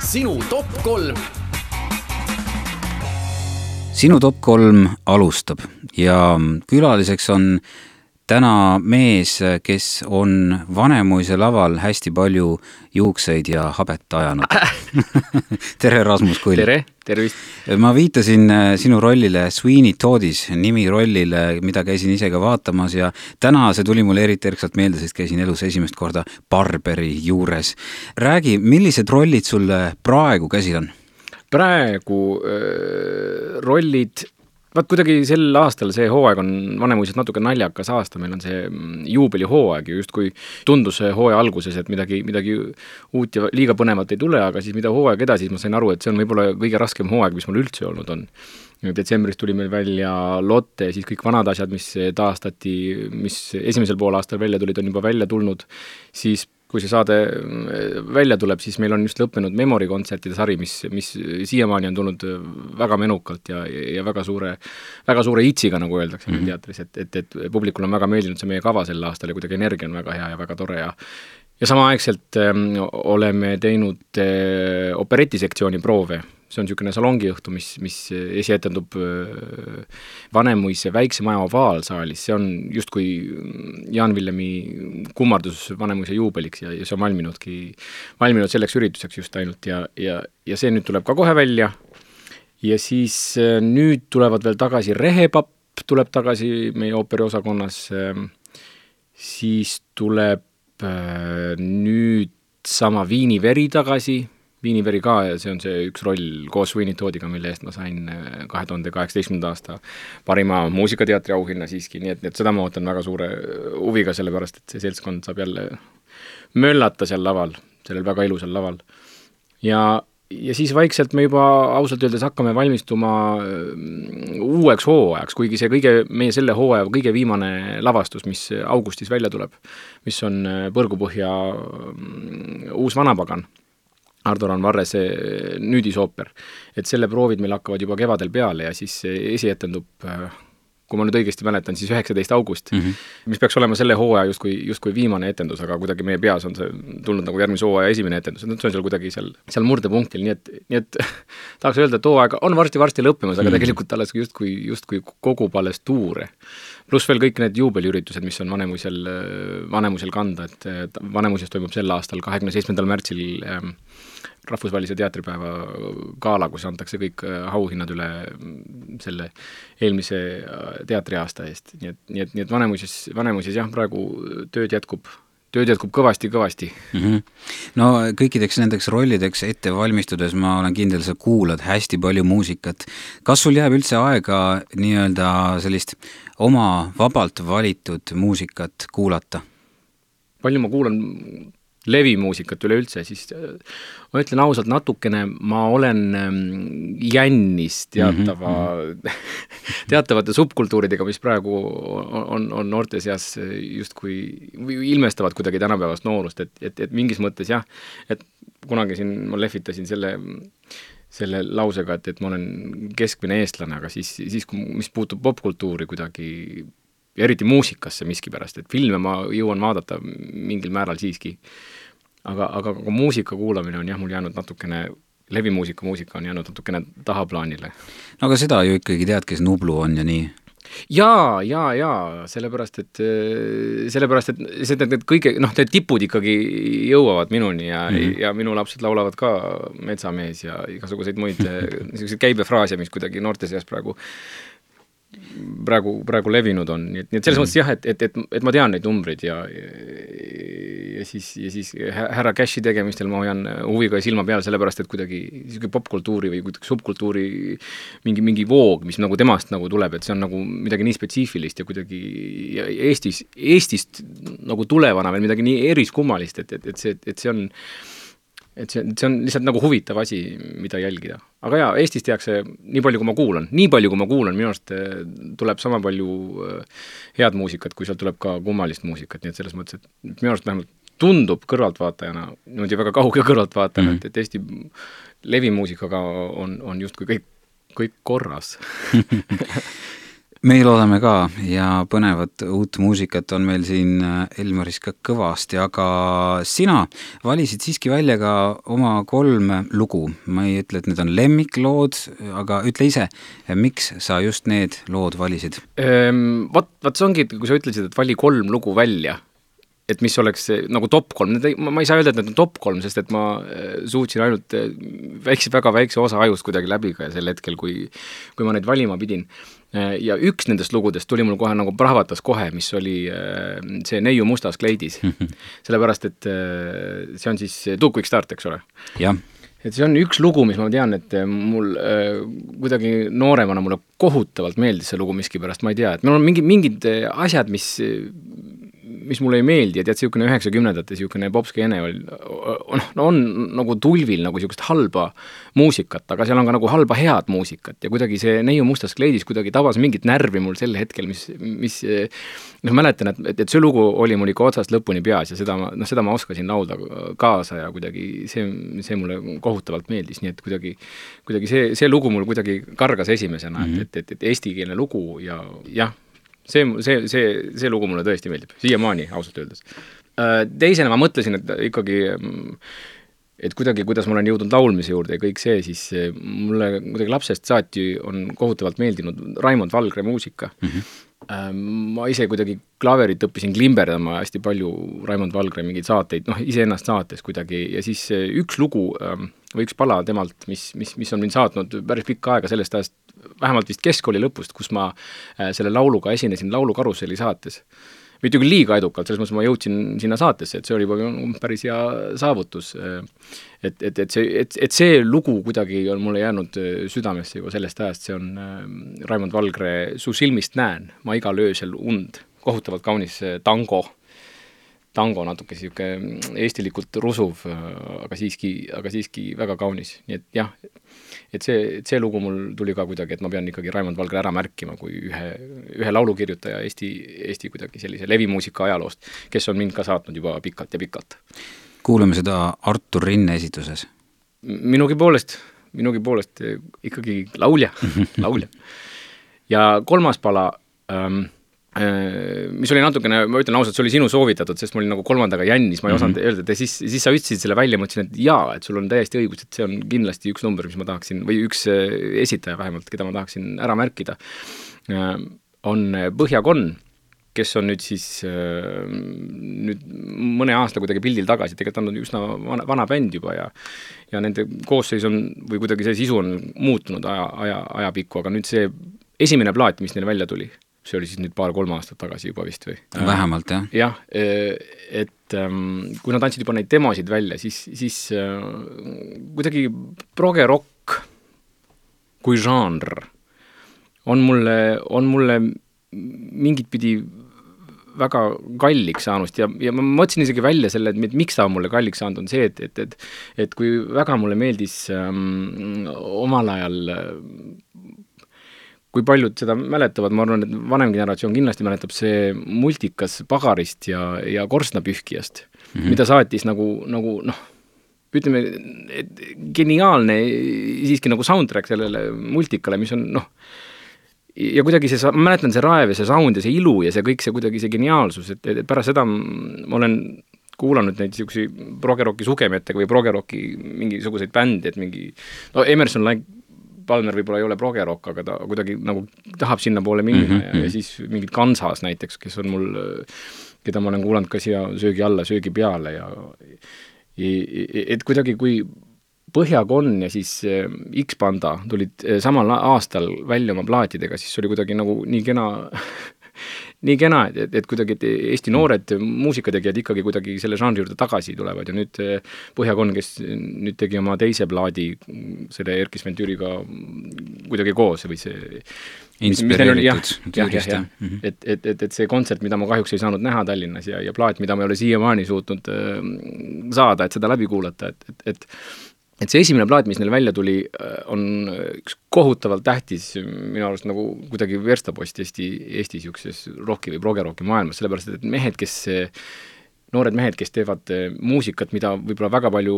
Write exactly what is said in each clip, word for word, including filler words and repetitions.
sinu top kolm. Sinu top kolm alustab ja külaliseks on täna mees, kes on Vanemuise laval hästi palju juukseid ja habet ajanud. Tere, Rasmus Kull. Tere, tervist. Ma viitasin sinu rollile Sweeney Toddis, nimi rollile, mida käisin ise ka vaatamas ja täna see tuli mulle eriti erksalt meelde, sest käisin elus esimest korda Barberi juures. Räägi, millised rollid sulle praegu käsil on? Praegu äh, rollid... Vaat kuidagi sel aastal see hooaeg on Vanemuises natuke naljakas aasta, meil on see juubeli hooaeg ja just kui tundus hooaja alguses, et midagi, midagi uut ja liiga põnevat ei tule, aga siis mida hooaeg edasi, siis ma sain aru, et see on võib-olla kõige raskem hooaeg, mis mul üldse olnud on. Detsembris tuli meil välja Lotte, siis kõik vanad asjad, mis taastati, mis esimesel pool aastal välja tulid, on juba välja tulnud, siis kui see saade välja tuleb, siis meil on just lõppenud Memory-kontsertide sari, mis, mis siiamaani on tulnud väga menukalt ja, ja väga suure, väga suure itsiga, nagu öeldakse mm-hmm. teatris, et, et, et publikul on väga meeldinud see meie kava sel aastal ja kuidagi energia on väga hea ja väga tore ja ja samaaegselt äh, oleme teinud äh, operetisektsiooni proove. See on niisugune salongiõhtu, mis, mis esietendub Vanemuise väikse maja ovaalsaalis. See on justkui Jaan Villemi kummardus Vanemuise juubeliks ja, ja see on valminudki, valminud selleks ürituseks just ainult ja, ja, ja see nüüd tuleb ka kohe välja. Ja siis nüüd tulevad veel tagasi Rehepapp, tuleb tagasi meie ooperiosakonnas, siis tuleb nüüd sama Viiniveri tagasi, Viiniveri ka ja see on see üks roll koos Sweeney Toddiga, mille eest ma sain kahe tuhande kaheksateistkümnenda aasta parima muusikateatri auhinna siiski, nii et, et seda ma ootan väga suure huviga, sellepärast et see seltskond saab jälle möllata seal laval, sellel väga ilusal laval. Ja, ja siis vaikselt me juba ausalt öeldes hakkame valmistuma uueks hooajaks, kuigi see kõige, meie selle hooaja kõige viimane lavastus, mis augustis välja tuleb, mis on Põrgupõhja uus vanapagan, Ardoran Varrese nüüdisooper, et selle proovid meil hakkavad juba kevadel peale ja siis esietendub, kui ma nüüd õigesti mäletan, siis üheksateist august, mm-hmm. mis peaks olema selle hooaja justkui, justkui viimane etendus, aga kuidagi meie peas on see tulnud nagu järgmise hooaja esimene etendus, see on seal kuidagi seal, seal murdepunktil, nii et, nii et tahaks öelda, et hooaeg on varsti-varsti lõppemas, aga tegelikult alles justkui, justkui kogub alles tuure. Pluss veel kõik need juubeliüritused, mis on Vanemuisel, Vanemuisel kanda, et Vanemuises toimub sel aastal kahekümne seitsmendal märtsil ähm, rahvusvahelise teatripäeva gaala, kus antakse kõik auhinnad üle selle eelmise teatriaasta eest. Nii et, nii et, nii et Vanemuises, Vanemuises jah, praegu tööd jätkub, tööd jätkub kõvasti-kõvasti. Mm-hmm. No kõikideks nendeks rollideks ette valmistudes ma olen kindel, sa kuulad hästi palju muusikat. Kas sul jääb üldse aega nii-öelda sellist oma vabalt valitud muusikat kuulata? Palju ma kuulan levimuusikat üleüldse, siis ma ütlen ausalt natukene, ma olen jännis teatava, mm-hmm. teatavate subkultuuridega, mis praegu on, on noorte seas justkui ilmestavad kuidagi tänapäevast noorust, et, et, et mingis mõttes jah, et kunagi siin ma lehvitasin selle, selle lausega, et, et ma olen keskmine eestlane, aga siis, siis mis puutub popkultuuri kuidagi ja eriti muusikasse miskipärast, et filme ma jõuan vaadata mingil määral siiski. Aga, aga, aga muusika kuulamine on jah, mul jäänud natukene, levimuusika muusika on jäänud natukene tahaplaanile. No aga seda ju ikkagi tead, kes Nublu on ja nii? Jaa, jaa, jaa, sellepärast, et sellepärast, et see, et kõige, noh, need tipud ikkagi jõuavad minuni ja, mm. ja minu lapsed laulavad ka Metsamees ja igasuguseid muid käibefraase, mis kuidagi noorte seas praegu praegu, praegu levinud on, nii et, nii et selles mm. mõttes jah, et, et, et, et ma tean neid numbreid ja, ja, ja siis, ja siis härra Cashi tegemistel ma hoian huviga silma peal, sellepärast, et kuidagi popkultuuri või kuidagi subkultuuri mingi, mingi voog, mis nagu temast nagu tuleb, et see on nagu midagi nii spetsiifilist ja kuidagi ja Eestis, Eestist nagu tulevana veel midagi nii eriskummalist, et, et, et see, et see on et see, see on lihtsalt nagu huvitav asi, mida jälgida. Aga jaa, Eestis tehakse nii palju, kui ma kuulan. Nii palju, kui ma kuulan, minu arust tuleb sama palju head muusikat, kui seal tuleb ka kummalist muusikat, nii et selles mõttes, et minu arust vähemalt tundub kõrvaltvaatajana, niimoodi väga kauge kõrvaltvaatajana, mm-hmm. et, et Eesti levimuusikaga on, on justkui kõik, kõik korras. meil oleme ka ja põnevat uut muusikat on meil siin Elmaris ka kõvasti, aga sina valisid siiski välja ka oma kolm lugu. Ma ei ütle, et need on lemmiklood, aga ütle ise, miks sa just need lood valisid? Ehm, vat, vat see ongi, kui sa ütlesid, et vali kolm lugu välja, et mis oleks nagu top kolm, ma, ma ei saa öelda, et need on top kolm, sest et ma suutsin ainult väikse, väga väikse osa ajust kuidagi läbi ka sel hetkel, kui, kui ma neid valima pidin. Ja üks nendest lugudest tuli mul kohe nagu prahvatas kohe, mis oli see Neiu mustas kleidis. Sellepärast, et see on siis Too Quick Start, eks ole? Jah. Et see on üks lugu, mis ma tean, et mul äh, kuidagi nooremana mulle kohutavalt meeldis see lugu miskipärast, ma ei tea, et meil on mingi, mingid asjad, mis, mis mulle ei meeldi, ja tead, siukene üheksakümnendate siukene popskeene oli, on, on nagu tulvil nagu siukest halba muusikat, aga seal on ka nagu halba head muusikat ja kuidagi see Neiu mustas kleidis kuidagi tabas mingit närvi mul sel hetkel, mis, mis noh, mäletan, et, et, et see lugu oli mul ikka otsast lõpuni peas ja seda ma, noh, seda ma oskasin laulda kaasa ja kuidagi see, see mulle kohutavalt meeldis, nii et kuidagi, kuidagi see, see lugu mul kuidagi kargas esimesena, mm -hmm. et, et, et eestikeelne lugu ja jah, see, see, see, see lugu mulle tõesti meeldib, siiamaani ausalt öeldes. Teisena ma mõtlesin, et ikkagi et kuidagi, kuidas ma olen jõudnud laulmise juurde ja kõik see, siis mulle kuidagi lapsest saati on kohutavalt meeldinud Raimond Valgre muusika. Mm-hmm. Ma ise kuidagi klaverit õppisin klimberdama hästi palju Raimond Valgre mingeid saateid, noh, iseennast saates kuidagi ja siis üks lugu või üks pala temalt, mis, mis, mis on mind saatnud päris pikka aega sellest ajast, vähemalt vist keskkooli lõpust, kus ma selle lauluga esinesin Laulukarusselli saates. Mitte küll liiga edukalt, selles mõttes ma jõudsin sinna saatesse, et see oli juba päris hea saavutus. Et, et, et, see, et, et see lugu kuidagi on mulle jäänud südamesse juba sellest ajast, see on Raimond Valgre Su silmist näen, ma igal öösel und, kohutavalt kaunis tango, tango natuke siuke eestilikult rusuv, aga siiski, aga siiski väga kaunis, nii et jah, et see, et see lugu mul tuli ka kuidagi, et ma pean ikkagi Raimond Valgre ära märkima kui ühe, ühe laulukirjutaja Eesti, Eesti kuidagi sellise levimuusika ajaloost, kes on mind ka saatnud juba pikalt ja pikalt. Kuulame seda Artur Rinne esituses. Minugi poolest, minugi poolest ikkagi laulja, laulja. Ja kolmas pala, ähm, mis oli natukene, ma ütlen ausalt, see oli sinu soovitatud, sest ma olin nagu kolmandaga jännis, ma ei osanud öelda, et siis, siis sa ütlesid selle välja, mõtlesin, et jaa, et sul on täiesti õigus, et see on kindlasti üks number, mis ma tahaksin, või üks esitaja vähemalt, keda ma tahaksin ära märkida, on Põhjakon, kes on nüüd siis nüüd mõne aasta kuidagi pildil tagasi, tegelikult on üsna vana, vana bänd juba ja ja nende koosseis on, või kuidagi see sisu on muutunud aja, aja, ajapikku, aga nüüd see esimene plaat, mis neil välja tuli, see oli siis nüüd paar-kolm aastat tagasi juba vist või? Vähemalt, jah. Jah, et kui nad andsid juba neid demosid välja, siis, siis kuidagi progerokk kui žanr on mulle, on mulle mingit pidi väga kalliks saanud ja, ja ma mõtlesin isegi välja selle, et miks ta on mulle kalliks saanud, on see, et, et, et, et kui väga mulle meeldis ähm, omal ajal kui paljud seda mäletavad, ma arvan, et vanem generatsioon kindlasti mäletab see multikas Pagarist ja, ja Korstnapühkijast, mm-hmm. mida saatis nagu, nagu noh, ütleme, et geniaalne siiski nagu soundtrack sellele multikale, mis on noh, ja kuidagi see, ma mäletan see raev ja see sound ja see ilu ja see kõik see kuidagi see geniaalsus, et, et pärast seda ma olen kuulanud neid siuksi progerocki sugemetega või progerocki mingisuguseid bändi, et mingi, no Emerson Lake Palmer võib-olla ei ole progerock, aga ta kuidagi nagu tahab sinna poole minna mm-hmm. ja, ja siis mingid Kansas näiteks, kes on mul, keda ma olen kuulanud ka siia söögi alla, söögi peale ja et kuidagi kui Põhjakon ja siis X-Panda tulid samal aastal välja oma plaatidega, siis oli kuidagi nagu nii kena nii kena, et, et kuidagi et Eesti noored muusikategijad ikkagi kuidagi selle žanri juurde tagasi tulevad ja nüüd Põhjakon, kes nüüd tegi oma teise plaadi selle Erkis Ventüriga kuidagi koos või see inspireeritud Türgist. Mm-hmm. Et, et, et, et see kontsert, mida ma kahjuks ei saanud näha Tallinnas ja, ja plaat, mida ma ei ole siiamaani suutnud saada, et seda läbi kuulata, et, et, et et see esimene plaat, mis neil välja tuli, on üks kohutavalt tähtis minu arust nagu kuidagi verstapost Eesti, Eesti siukses rocki või progerocki maailmas, sellepärast et mehed, kes, noored mehed, kes teevad muusikat, mida võib-olla väga palju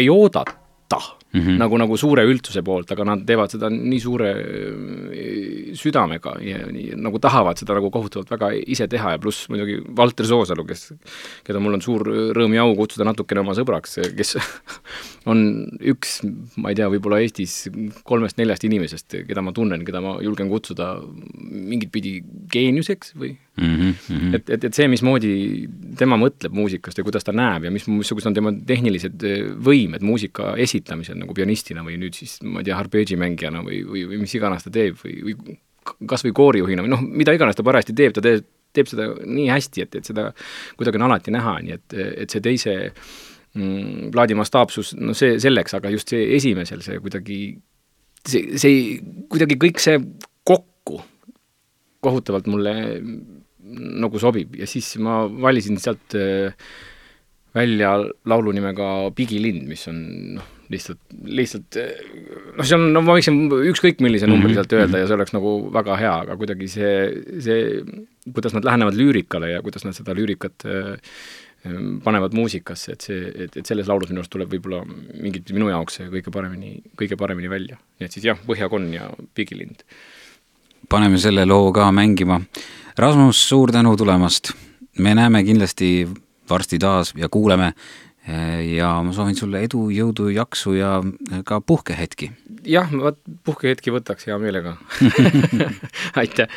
ei oodata oodata mm -hmm. nagu, nagu suure üldsuse poolt, aga nad teevad seda nii suure südamega ja nii, nagu tahavad seda nagu kohutavalt väga ise teha ja pluss muidugi Valter Soosalu, kes, keda mul on suur rõõm ja au kutsuda natukene oma sõbraks, kes on üks, ma ei tea, võib-olla Eestis kolmest neljast inimesest, keda ma tunnen, keda ma julgen kutsuda mingit pidi geeniuseks või mm -hmm. et, et, et see, mismoodi tema mõtleb muusikast ja kuidas ta näeb ja mis, missugused on tema tehnilised võimed muusika esitamisel nagu pianistina või nüüd siis, ma ei tea, arpeegimängijana või, või, või mis iganes ta teeb või, või kas või koorijuhina või noh, mida iganes ta parajasti teeb, ta teeb, teeb seda nii hästi, et, et seda kuidagi on alati näha, nii et, et see teise mm, plaadi mastaapsus, no see selleks, aga just see esimesel, see kuidagi see, see kuidagi kõik see kokku kohutavalt mulle nagu sobib ja siis ma valisin sealt välja laulu nimega Pigilind, mis on noh, lihtsalt, lihtsalt noh, see on, no ma võiksin ükskõik millise numbri sealt öelda ja see oleks nagu väga hea, aga kuidagi see, see, kuidas nad lähenevad lüürikale ja kuidas nad seda lüürikat panevad muusikasse, et see, et, et selles laulus minu arust tuleb võib-olla mingit minu jaoks see kõige paremini, kõige paremini välja. Nii et siis jah, Põhjakonn ja Pigilind. Paneme selle loo ka mängima. Rasmus, suur tänu tulemast. Me näeme kindlasti varsti taas ja kuuleme ja ma soovin sulle edu, jõudu, jaksu ja ka puhkehetki. Jah, puhkehetki võtaks hea meelega. Aitäh!